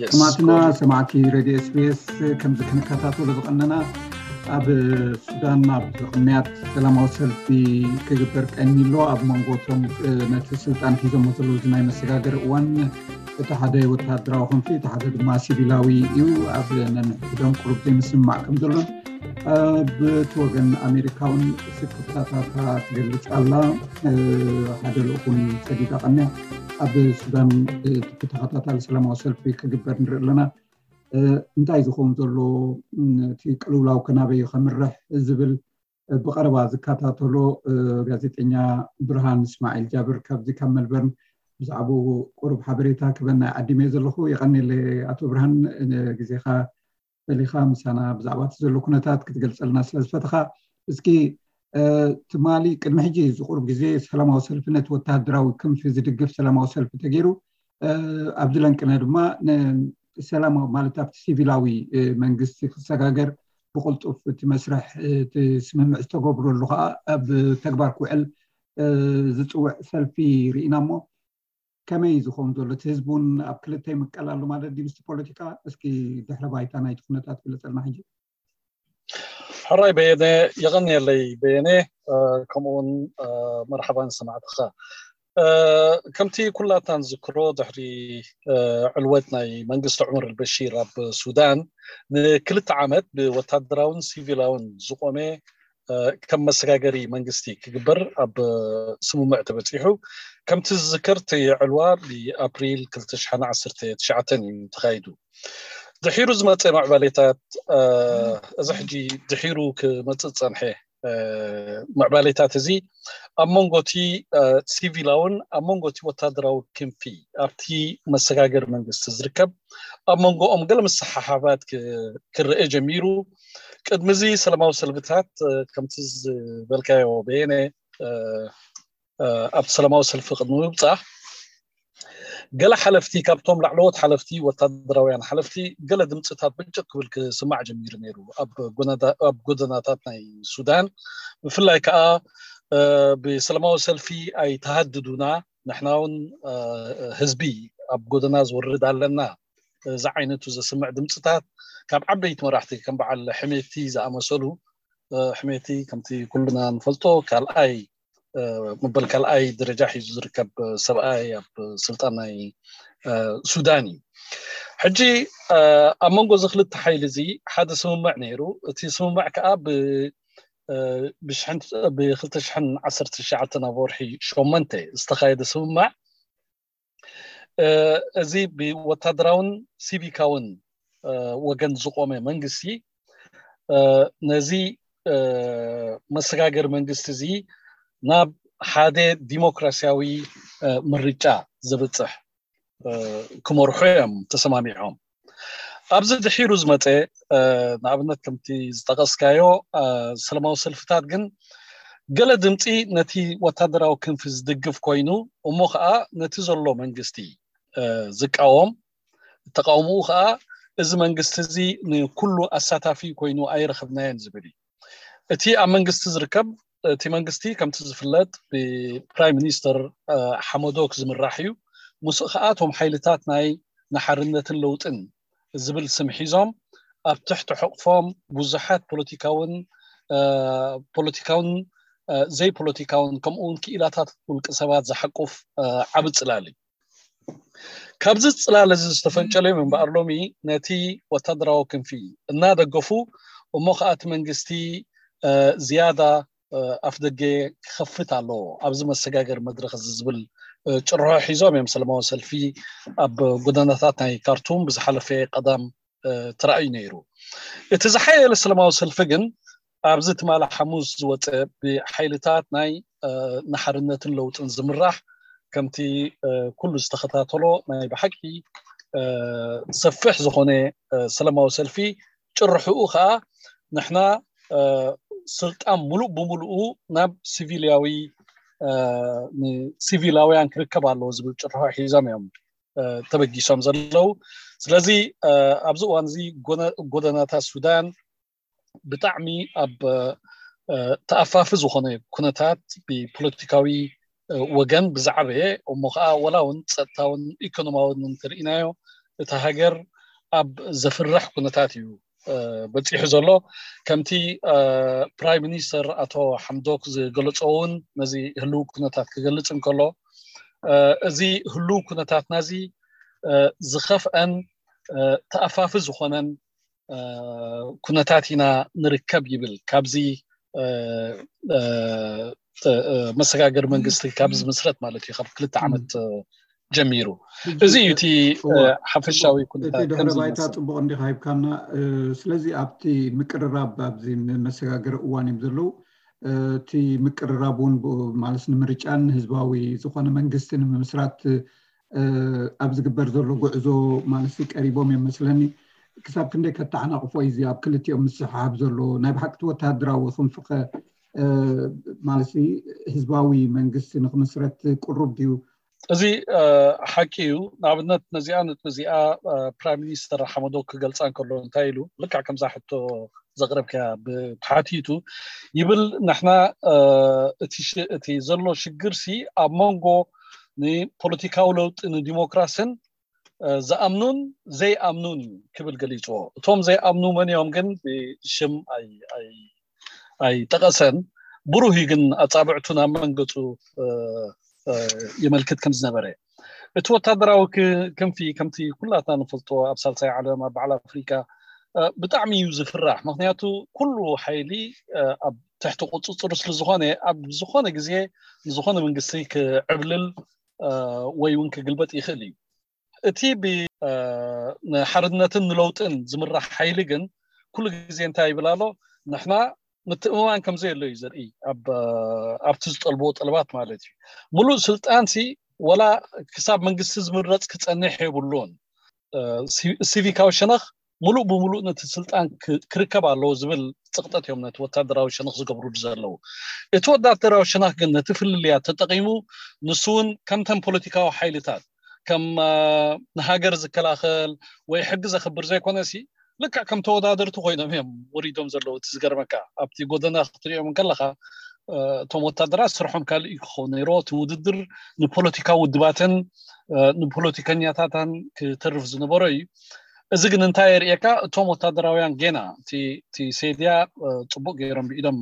ሰማዕትና ሰማዕቲ ሬድዮ ኤስቢኤስ፣ ከምዚ ክንከታተሎ ዝቐነና፣ ኣብ ሱዳን ኣብ ቅንያት ሰላማዊ ሰልፊ ክግበር ቀኒሎ ኣብ መንጎ እቶም ነቲ ስልጣን ሒዞሞ ዘለዉ ናይ መሰጋገሪ እዋን እቲ ሓደ ወታደራዊ ክንፊ እቲ ሓደ ድማ ሲቪላዊ እዩ። ኣብ ነንሕድሕዶም ቁሩብ ዘይምስምማዕ ከም ዘሎን ብቲ ወገን ኣሜሪካ እውን ስክፍታታታ ትገልጽ ኣላ። ሓደ ልኡኹን ሰዲዳ ቀንያ ኣብ ሱዳን ተኸታታሊ ሰላማዊ ሰልፊ ክግበር ንርኢ ኣለና። እንታይ ዝኸውን ዘሎ፣ እቲ ቅልውላው ከናበይ ከምርሕ ዝብል ብቐረባ ዝከታተሎ ጋዜጠኛ ብርሃን እስማዒል ጃብር ካብዚ ካብ መልበርን ብዛዕባኡ ቁሩብ ሓበሬታ ክበና ዓዲመ ዘለኹ። የቐኔለ ኣቶ ብርሃን፣ ግዜኻ ፈሊኻ ምሳና ብዛዕባ እቲ ዘሎ ኩነታት ክትገልጸልና ስለ ዝፈተኻ። እስኪ ትማሊ ቅድሚ ሕጂ ዝቁሩብ ግዜ ሰላማዊ ሰልፊ ነቲ ወተሃደራዊ ክንፊ ዝድግፍ ሰላማዊ ሰልፊ ተገይሩ፣ ኣብዚ ለንቅነ ድማ ሰላማዊ ማለት ኣብቲ ሲቪላዊ መንግስቲ ክሰጋገር ብቕልጡፍ እቲ መስርሕ እቲ ስምምዕ ዝተገብረሉ ከዓ ኣብ ተግባር ክውዕል ዝፅውዕ ሰልፊ ርኢና እሞ ከመይ ዝኸውን ዘሎ እቲ ህዝቢ እውን ኣብ ክልተ ይምቀል ኣሎ ማለት ድዩ ምስቲ ፖለቲካ? እስኪ ድሕረ ባይታ ናይቲ ኩነታት ግለፀልና ሕጂ። ሕራይ በየነ፣ የቐንየለይ በየነ፣ ከምኡውን መርሓባን ሰማዕትኻ። ከምቲ ኩላትና ንዝክሮ ድሕሪ ዕልወት ናይ መንግስቲ ዑመር ኣልበሺር ኣብ ሱዳን ንክልተ ዓመት ብወታደራውን ሲቪላውን ዝቆመ ከም መሰጋገሪ መንግስቲ ክግበር ኣብ ስምምዕ ተበፂሑ። ከምቲ ዝዝከር እቲ ዕልዋ ብኣፕሪል ክልተ ሽሕን ዓሰርተ ትሽዓተን እዩ ተኻይዱ። ድሒሩ ዝመፀ ምዕባሌታት፣ እዚ ሕጂ ድሒሩ ክመፅእ ዝፀንሐ ምዕባሌታት እዚ ኣብ መንጎ እቲ ሲቪላውን ኣብ መንጎ እቲ ወታደራዊ ክንፊ ኣብቲ መሰጋገሪ መንግስቲ ዝርከብ ኣብ መንጎኦም ገለ ምስሓሓባት ክረአ ጀሚሩ። ቅድሚ እዚ ሰላማዊ ሰልፍታት ከምቲ ዝበልካዮ በየነ ኣብቲ ሰላማዊ ሰልፊ ቅድሚ ምብፃሕ ገለ ሓለፍቲ ካብቶም ላዕለዎት ሓለፍቲ ወታደራውያን ሓለፍቲ ገለ ድምፅታት ብጭቅ ክብል ክስማዕ ጀሚሩ ነይሩ ኣብ ጎደናታት ናይ ሱዳን። ብፍላይ ከዓ ብሰላማዊ ሰልፊ ኣይተሃድዱና፣ ንሕና እውን ህዝቢ ኣብ ጎደና ዝወርድ ኣለና ዝዓይነቱ ዘስምዕ ድምፅታት ካብ ዓበይቲ መራሕቲ ከም በዓል ሕሜቲ ዝኣመሰሉ፣ ሕሜቲ ከምቲ ኩልና ንፈልጦ ካልኣይ መበል ካልኣይ ደረጃ ሒዙ ዝርከብ ሰብኣይ ኣብ ስልጣን ናይ ሱዳን እዩ። ሕጂ ኣብ መንጎ እዚ ክልተ ሓይሊ እዚ ሓደ ስምምዕ ነይሩ። እቲ ስምምዕ ከዓ ብ ብ ክልተ ሽሕን ዓሰርተ ትሽዓተን ኣብ ወርሒ ሸሞንተ ዝተኻየደ ስምምዕ፣ እዚ ብወታደራውን ሲቪካውን ወገን ዝቆመ መንግስቲ ነዚ መሰጋገሪ መንግስቲ እዚ ናብ ሓደ ዲሞክራሲያዊ ምርጫ ዘብፅሕ ክመርሑ እዮም ተሰማሚዖም። ኣብዚ ድሒሩ ዝመፀ ንኣብነት ከምቲ ዝጠቀስካዮ ሰላማዊ ሰልፍታት ግን ገለ ድምፂ ነቲ ወታደራዊ ክንፊ ዝድግፍ ኮይኑ እሞ ከዓ ነቲ ዘሎ መንግስቲ ዝቃወም፣ ተቃውምኡ ከዓ እዚ መንግስቲ እዚ ንኩሉ ኣሳታፊ ኮይኑ ኣይረኸብናዮን ዝብል እዩ። እቲ ኣብ መንግስቲ ዝርከብ እቲ መንግስቲ ከምቲ ዝፍለጥ ብፕራይም ሚኒስተር ሓመዶክ ዝምራሕ እዩ። ምስኡ ከዓ እቶም ሓይልታት ናይ ንሓርነትን ለውጥን ዝብል ስም ሒዞም ኣብ ትሕቲ ሕቕፎም ብዙሓት ፖለቲካውን ፖለቲካውን ዘይፖለቲካውን ከምኡውን ክኢላታት ውልቂ ሰባት ዝሓቁፍ ዓቢ ፅላል እዩ። ካብዚ ፅላል እዚ ዝተፈንጨለ እዮም እምበኣር ሎሚ ነቲ ወታደራዊ ክንፊ እናደገፉ እሞ ከዓ እቲ መንግስቲ ዝያዳ ኣፍ ደገ ክኸፍት ኣለዎ ኣብዚ መሰጋገር መድረክ እዚ ዝብል ጭርሖ ሒዞም እዮም ሰላማዊ ሰልፊ ኣብ ጎደናታት ናይ ካርቱም ብዝሓለፈ ቀዳም ተራእዩ ነይሩ። እቲ ዝሓየለ ሰላማዊ ሰልፊ ግን ኣብዚ ትማሊ ሓሙስ ዝወፀ ብሓይልታት ናይ ንሓርነትን ለውጥን ዝምራሕ ከምቲ ኩሉ ዝተኸታተሎ ናይ ብሓቂ ሰፊሕ ዝኾነ ሰላማዊ ሰልፊ ጭርሕኡ ከዓ ንሕና ስልጣን ሙሉእ ብምሉኡ ናብ ሲቪልያዊ ሲቪላውያን ክርከብ ኣለዎ ዝብል ጭርሖ ሒዞም እዮም ተበጊሶም ዘለዉ። ስለዚ ኣብዚ እዋን እዚ ጎደናታት ሱዳን ብጣዕሚ ኣብ ተኣፋፊ ዝኾነ ኩነታት ብፖለቲካዊ ወገን ብዛዕበየ እሞ ከዓ ወላ እውን ፀጥታውን ኢኮኖማውን እንተርኢናዮ እታ ሃገር ኣብ ዘፍርሕ ኩነታት እዩ በፂሑ ዘሎ። ከምቲ ፕራይም ሚኒስተር ኣቶ ሓምዶክ ዝገለፆ እውን ነዚ ህልው ኩነታት ክገልፅ እንከሎ፣ እዚ ህልው ኩነታትና እዚ ዝኸፍአን ተኣፋፊ ዝኾነን ኩነታት ኢና ንርከብ ይብል። ካብዚ መሰጋገሪ መንግስቲ ካብ ዝምስረት ማለት እዩ፣ ካብ ክልተ ዓመት ጀሚሩ። እዚ እዩ እቲ ሓፈሻዊ ኩነታት። ድሕረ ባይታ ፅቡቅ እንዲካ ሂብካና። ስለዚ ኣብቲ ምቅርራብ ኣብዚ መሰጋገሪ እዋን እዮም ዘለዉ። እቲ ምቅርራብ እውን ማለት ንምርጫን ህዝባዊ ዝኾነ መንግስቲ ንምምስራት ኣብ ዝግበር ዘሎ ጉዕዞ ማለት ቀሪቦም እዮም መስለኒ። ክሳብ ክንደይ ከተዓናቕፎ እዩ እዚ ኣብ ክልቲኦም ምስሕሓብ ዘሎ? ናይ ብሓቂ እቲ ወተሃደራዊ ክንፍኸ ማለት ህዝባዊ መንግስቲ ንክምስረት ቅሩብ ድዩ? እዚ ሓቂ እዩ። ንኣብነት ነዚኣ ነጥቢ እዚኣ ፕራይም ሚኒስተር ሓመዶክ ክገልፃ እንከሎ እንታይ ኢሉ፣ ልክዕ ከምዛ ሕቶ ዘቕረብካያ ብተሓቲቱ ይብል፣ ንሕና እቲ ዘሎ ሽግር ሲ ኣብ መንጎ ንፖለቲካዊ ለውጢ ንዲሞክራሲን ዝኣምኑን ዘይኣምኑን እዩ ክብል ገሊፅዎ። እቶም ዘይኣምኑ መን እዮም ግን ብሽም ኣይጠቐሰን። ብሩህ እዩ ግን ኣፃብዕቱ ናብ መንገፁ የመልክት ከም ዝነበረ። እቲ ወታደራዊ ክንፊ ከምቲ ኩላትና ንፈልጦ ኣብ ሳልሳይ ዓለም ኣብ በዓል ኣፍሪካ ብጣዕሚ እዩ ዝፍራሕ። ምክንያቱ ኩሉ ሓይሊ ኣብ ትሕቲ ቁፅፅሩ ስለዝኾነ ኣብ ዝኾነ ግዜ ንዝኾነ መንግስቲ ክዕብልል ወይ እውን ክግልበጥ ይኽእል እዩ። እቲ ንሓርነትን ንለውጥን ዝምራሕ ሓይሊ ግን ኩሉ ግዜ እንታይ ይብል ኣሎ? ንሕና ምትእምማን ከም ዘየሎ እዩ ዘርኢ፣ ኣብቲ ዝጠልብዎ ጠለባት ማለት እዩ። ሙሉእ ስልጣን ሲ ወላ ክሳብ መንግስቲ ዝምረፅ ክፀንሕ የብሉን። ሲቪካዊ ሸነኽ ሙሉእ ብሙሉእ ነቲ ስልጣን ክርከብ ኣለዎ ዝብል ፅቕጠት እዮም ነቲ ወታደራዊ ሸነኽ ዝገብሩሉ ዘለዉ። እቲ ወታደራዊ ሸነኽ ግን ነቲ ፍልልያት ተጠቒሙ ንሱ እውን ከምተን ፖለቲካዊ ሓይልታት ከም ንሃገር ዝከላኸል ወይ ሕጊ ዘኽብር ዘይኮነ ሲ ልክዕ ከም ተወዳደርቲ ኮይኖም እዮም ወሪዶም ዘለዉ። እቲ ዝገርመካ ኣብቲ ጎደና ክትሪኦም እንከለካ እቶም ወታደራት ስርሖም ካልእ እዩ ክኸውን ነይሮ። እቲ ውድድር ንፖለቲካዊ ውድባትን ንፖለቲከኛታትን ክተርፍ ዝነበሮ እዩ። እዚ ግን እንታይ የርእየካ? እቶም ወታደራውያን ጌና እቲ ሴድያ ፅቡቅ ገይሮም ብኢዶም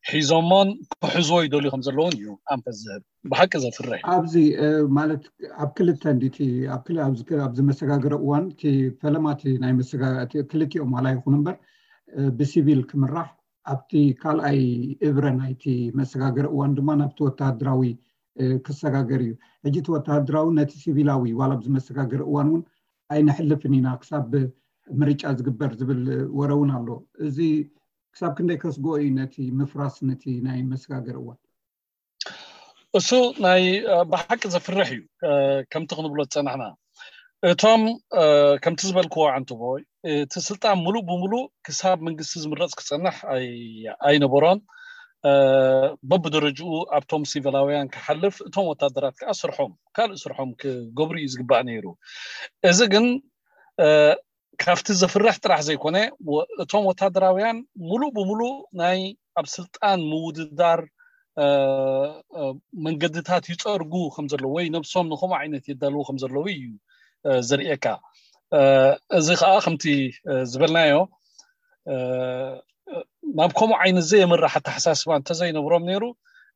ሒዞሞን ክሕዝዎ ይደልዩ ከም ዘለውን እዩ ኣንፈት ዝህብ። ብሓቂ ዘፍርሕ። ኣብዚ ማለት ኣብ ክልተ እንዲቲ ኣብዚ መሰጋገሪ እዋን እቲ ፈለማ እቲ ናይ ክልቲኦም ዋላ ይኹን እምበር ብሲቪል ክምራሕ ኣብቲ ካልኣይ እብረ ናይቲ መሰጋገሪ እዋን ድማ ናብቲ ወተሃደራዊ ክሰጋገር እዩ። ሕጂ እቲ ወተሃደራዊ ነቲ ሲቪላዊ ዋላ ኣብዚ መሰጋገሪ እዋን እውን ኣይነሕልፍን ኢና ክሳብ ምርጫ ዝግበር ዝብል ወረ እውን ኣሎ። እዚ ክሳብ ክንደይ ከስግኦ እዩ ነቲ ምፍራስ ነቲ ናይ መሰጋገሪ እዋን? እሱ ናይ ብሓቂ ዘፍርሕ እዩ። ከምቲ ክንብሎ ዝፀናሕና እቶም ከምቲ ዝበልክዎ ዓንትቦ እቲ ስልጣን ሙሉእ ብሙሉእ ክሳብ መንግስቲ ዝምረፅ ክፀንሕ ኣይነበሮን። በብደረጅኡ ኣብቶም ሲቪላውያን ክሓልፍ እቶም ወታደራት ከዓ ስርሖም ካልእ ስርሖም ክገብሩ እዩ ዝግባእ ነይሩ። እዚ ግን ካብቲ ዘፍርሕ ጥራሕ ዘይኮነ እቶም ወታደራውያን ሙሉእ ብሙሉእ ናይ ኣብ ስልጣን ምውድዳር መንገድታት ይፀርጉ ከም ዘለዉ ወይ ነብሶም ንከምኡ ዓይነት የዳልዉ ከም ዘለዉ እዩ ዘርእየካ። እዚ ከዓ ከምቲ ዝበልናዮ ናብ ከምኡ ዓይነት ዘየምራሕ ኣተሓሳስባ እንተዘይነብሮም ነይሩ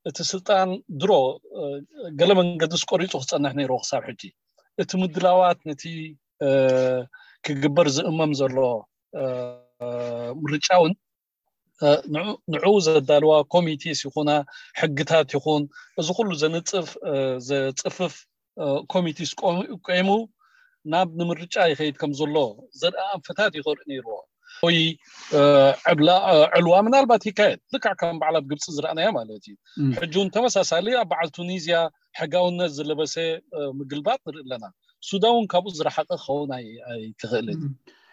እቲ ስልጣን ድሮ ገለ መንገድስ ቆሪፁ ክፀንሕ ነይርዎ ክሳብ ሕጂ። እቲ ምድላዋት ነቲ ክግበር ዝእመም ዘሎ ምርጫ እውን ንዕኡ ዘዳልዋ ኮሚቴስ ይኹና ሕግታት ይኹን እዚ ኩሉ ዘንፅፍ ዘፅፍፍ ኮሚቴስ ቆይሙ ናብ ንምርጫ ይኸይድ ከም ዘሎ ዘርኢ ኣንፈታት ይኸርኢ ነይርዎ። ወይ ዕልዋ ምናልባት ይካየድ ልክዕ ከም በዓል ኣብ ግብፂ ዝረኣናዮ ማለት እዩ። ሕጂ እውን ተመሳሳሊ ኣብ በዓል ቱኒዝያ ሕጋውነት ዝለበሰ ምግልባጥ ንርኢ ኣለና። ሱዳን እውን ካብኡ ዝረሓቐ ክኸውን ኣይትኽእልን።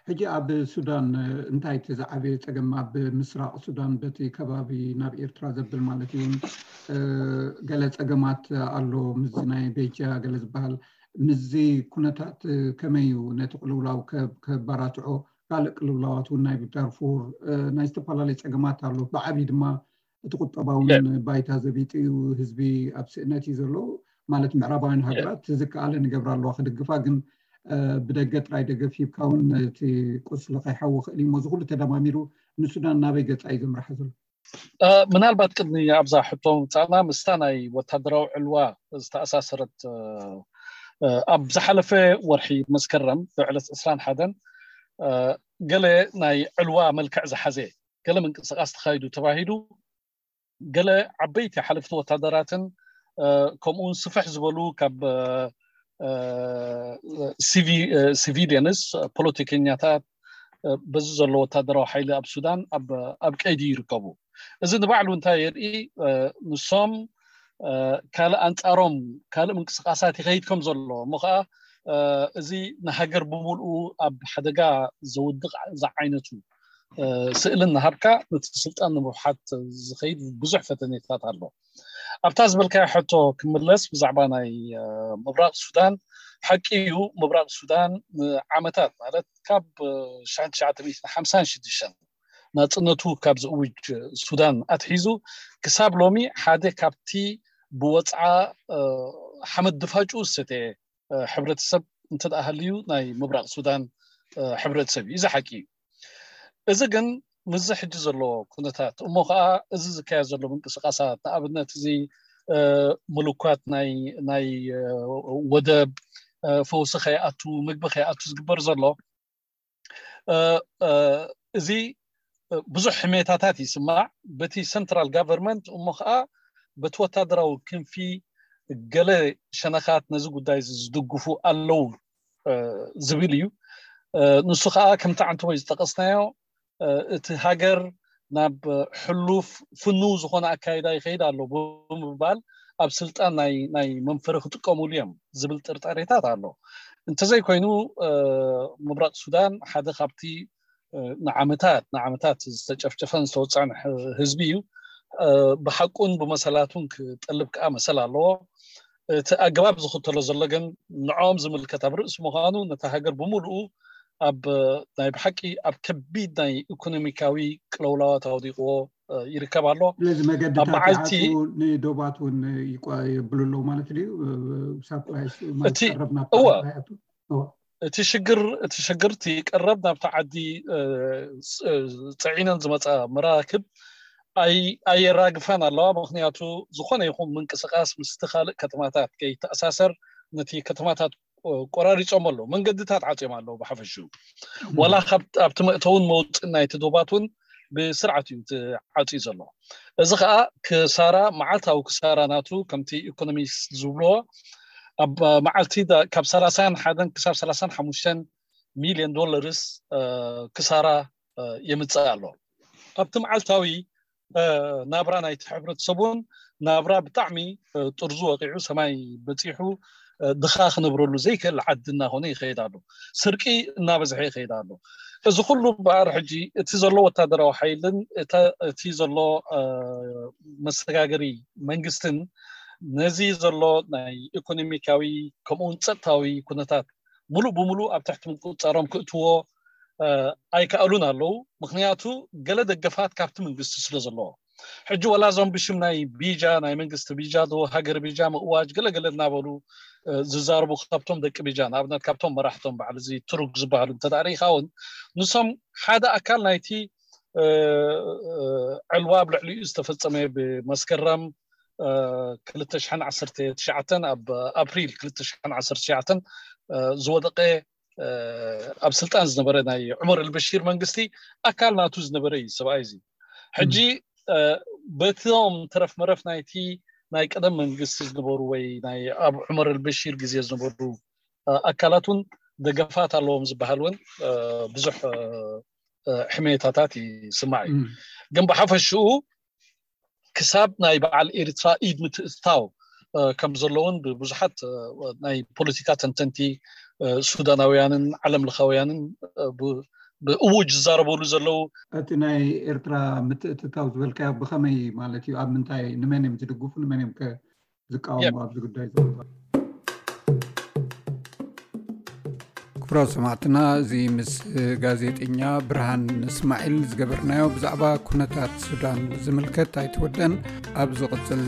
ሕጂ ኣብ ሱዳን እንታይ እቲ ዝዓበየ ፀገም ኣብ ምስራቕ ሱዳን በቲ ከባቢ ናብ ኤርትራ ዘብል ማለት እዩ እውን ገለ ፀገማት ኣሎ ምስዚ ናይ ቤጃ ገለ ዝበሃል ምስዚ ኩነታት ከመይ እዩ ነቲ ቅልውላው ከባራትዖ ካልእ ቅልውላዋት እውን ናይ ዳርፉር ናይ ዝተፈላለዩ ፀገማት ኣሎ ብዓብዪ ድማ እቲ ቁጠባውን ባይታ ዘቢጡ እዩ ህዝቢ ኣብ ስእነት እዩ ዘሎ ማለት ምዕራባውያን ሃገራት ዝከኣለ ንገብራ ኣለዋ ክድግፋ ግን ብደገ ጥራይ ደገፍ ሂብካ እውን እቲ ቁስሊ ከይሓዊ ክእል እዩ። እዚ ኩሉ ተደማሚሩ ንሱዳን ናበይ ገጻ እዩ ዘምርሓ ዘሎ? ምናልባት ቅድሚ ኣብዛ ሕቶ ምጻና ምስታ ናይ ወታደራዊ ዕልዋ ዝተኣሳሰረት ኣብ ዝሓለፈ ወርሒ መስከረም ብዕለት ዕስራን ሓደን ገለ ናይ ዕልዋ መልክዕ ዝሓዘ ገለ ምንቅስቃስ ተኻይዱ ተባሂሉ ገለ ዓበይቲ ሓለፍቲ ወታደራትን ከምኡውን ስፍሕ ዝበሉ ካብ ሲቪሊየንስ ፖለቲከኛታት በዚ ዘሎ ወታደራዊ ሓይሊ ኣብ ሱዳን ኣብ ቀይዲ ይርከቡ። እዚ ንባዕሉ እንታይ የርኢ? ንሶም ካልእ ኣንጻሮም ካልእ ምንቅስቃሳት ይኸይድ ከም ዘሎ እሞ ከዓ እዚ ንሃገር ብምልኡ ኣብ ሓደጋ ዘውድቕ ዝዓይነቱ ስእልን ናሃብካ ነቲ ስልጣን ንምብሓት ዝኸይድ ብዙሕ ፈተኔታት ኣሎ። ኣብታ ዝበልካዮ ሕቶ ክምለስ ብዛዕባ ናይ ምብራቕ ሱዳን፣ ሓቂ እዩ። ምብራቕ ሱዳን ንዓመታት ማለት ካብ ሽሕን ትሽዓተ ሚእትን ሓምሳን ሽዱሽተን ናፅነቱ ካብ ዝእውጅ ሱዳን ኣትሒዙ ክሳብ ሎሚ ሓደ ካብቲ ብወፅዓ ሓመድ ድፋጩ ዝሰተየ ሕብረተሰብ እንተ ደኣ ሃልዩ ናይ ምብራቕ ሱዳን ሕብረተሰብ እዩ። እዚ ሓቂ እዩ። እዚ ግን ምስዚ ሕጂ ዘሎ ኩነታት እሞ ከዓ እዚ ዝካየድ ዘሎ ምንቅስቃሳት ንኣብነት እዚ ምልኳት ናይ ወደብ ፈውሲ ከይኣቱ ምግቢ ከይኣቱ ዝግበር ዘሎ እዚ ብዙሕ ሕሜታታት ይስማዕ በቲ central government እሞ ከዓ በቲ ወታደራዊ ክንፊ ገለ ሸነኻት ነዚ ጉዳይ ዝድግፉ ኣለዉ ዝብል እዩ። ንሱ ከዓ ከምቲ ዓንተቦይ ዝጠቀስናዮ እቲ ሃገር ናብ ሕሉፍ ፍኑው ዝኾነ ኣካይዳ ይኸይድ ኣሎ ብምባል ኣብ ስልጣን ናይ መንፈሪ ክጥቀሙሉ እዮም ዝብል ጥርጣሬታት ኣሎ። እንተዘይኮይኑ ምብራቕ ሱዳን ሓደ ካብቲ ንዓመታት ንዓመታት ዝተጨፍጨፈን ዝተወፅዐን ህዝቢ እዩ። ብሓቁን ብመሰላቱን ክጠልብ ከዓ መሰል ኣለዎ። እቲ ኣገባብ ዝኽተሎ ዘሎ ግን ንዕኦም ዝምልከት ኣብ ርእሲ ምዃኑ ነታ ሃገር ብምሉኡ ኣብ ናይ ብሓቂ ኣብ ከቢድ ናይ ኢኮኖሚካዊ ቅለውላዋት ኣውዲቕዎ ይርከብ ኣሎ። ስለዚ መገድታት ይዓፁ፣ ንዶባት እውን የብሉ ኣለዉ ማለት ድዩ? ሳፕላይስ ማለት ቀረብ ናብ እቲ ሽግር እቲ ሽግር እቲ ቀረብ ናብቲ ዓዲ ፅዒነን ዝመፃ መራክብ ኣየራግፋን ኣለዋ። ምክንያቱ ዝኾነ ይኹን ምንቅስቃስ ምስቲ ካልእ ከተማታት ከይተኣሳሰር ነቲ ከተማታት ቆራሪፆም ኣለዉ። መንገድታት ዓፅዮም ኣለዉ። ብሓፈሽኡ ዋላ ኣብቲ መእተውን መውፅእን ናይቲ ዶባት እውን ብስርዓት እዩ ዓፅዩ ዘሎ። እዚ ከዓ ክሳራ መዓልታዊ ክሳራ ናቱ ከምቲ ኢኮኖሚስት ዝብልዎ ኣብ መዓልቲ ካብ ሰላሳን ሓደን ክሳብ ሰላሳን ሓሙሽተን ሚልዮን ዶላርስ ክሳራ የምፅእ ኣሎ። ኣብቲ መዓልታዊ ናብራ ናይቲ ሕብረተሰብ እውን ናብራ ብጣዕሚ ጥርዙ ወቂዑ ሰማይ በፂሑ ድኻ ክነብረሉ ዘይክእል ዓዲ እናኾነ ይኸይድ ኣሎ። ስርቂ እናበዝሐ ይኸይድ ኣሎ። እዚ ኩሉ በኣር ሕጂ እቲ ዘሎ ወታደራዊ ሓይልን እቲ ዘሎ መሰጋገሪ መንግስትን ነዚ ዘሎ ናይ ኢኮኖሚካዊ ከምኡውን ፀጥታዊ ኩነታት ሙሉእ ብሙሉእ ኣብ ትሕቲ ምቁፃሮም ክእትዎ ኣይከኣሉን ኣለዉ። ምክንያቱ ገለ ደገፋት ካብቲ መንግስቲ ስለ ዘለዎ ሕጂ ዋላ እዞም ብሽም ናይ ቢጃ ናይ መንግስቲ ቢጃ ዶ ሃገር ቢጃ ምእዋጅ ገለገለ እናበሉ ዝዛረቡ ካብቶም ደቂ ቢጃ ንኣብነት ካብቶም መራሕቶም በዓል እዚ ትሩግ ዝበሃሉ እንተ ርኢኻ እውን ንሶም ሓደ ኣካል ናይቲ ዕልዋ ኣብ ልዕሊኡ ዝተፈፀመ ብመስከረም ክልተ ሽሕን ዓሰርተ ትሽዓተን ኣብ ኣፕሪል ክልተ ሽሕን ዓሰርተ ትሽዓተን ዝወደቀ ኣብ ስልጣን ዝነበረ ናይ ዑመር ኣልበሺር መንግስቲ ኣካል ናቱ ዝነበረ እዩ ሰብኣይ እዚ። ሕጂ በቶም ተረፍ መረፍ ናይቲ ናይ ቀደም መንግስቲ ዝነበሩ ወይ ናይ ኣብ ዑመር ኣልበሺር ግዜ ዝነበሩ ኣካላት እውን ደገፋት ኣለዎም ዝበሃል እውን ብዙሕ ሕሜታታት ይስማዕ እዩ። ግን ብሓፈሽኡ ክሳብ ናይ በዓል ኤርትራ ኢድ ምትእትታው ከም ዘለውን ብብዙሓት ናይ ፖለቲካ ተንተንቲ ሱዳናውያንን ዓለም ለኻውያንን ብእውጅ ዝዛረበሉ ዘለዉ። እቲ ናይ ኤርትራ ምትእትታው ዝበልካዮ ብኸመይ ማለት እዩ? ኣብ ምንታይ ንመን እዮም ዝድግፉ ንመን እዮም ዝቃወሙ ኣብዚ ጉዳይ ዘሎ? ክቡራት ሰማዕትና፣ እዚ ምስ ጋዜጠኛ ብርሃን እስማዒል ዝገበርናዮ ብዛዕባ ኩነታት ሱዳን ዝምልከት ኣይተወደን። ኣብ ዝቕፅል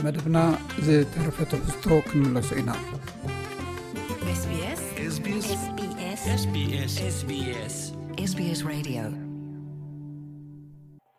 መደብና ዝተረፈ ትሕዝቶ ክንምለሶ ኢና። SBS SBS SBS SBS SBS Radio.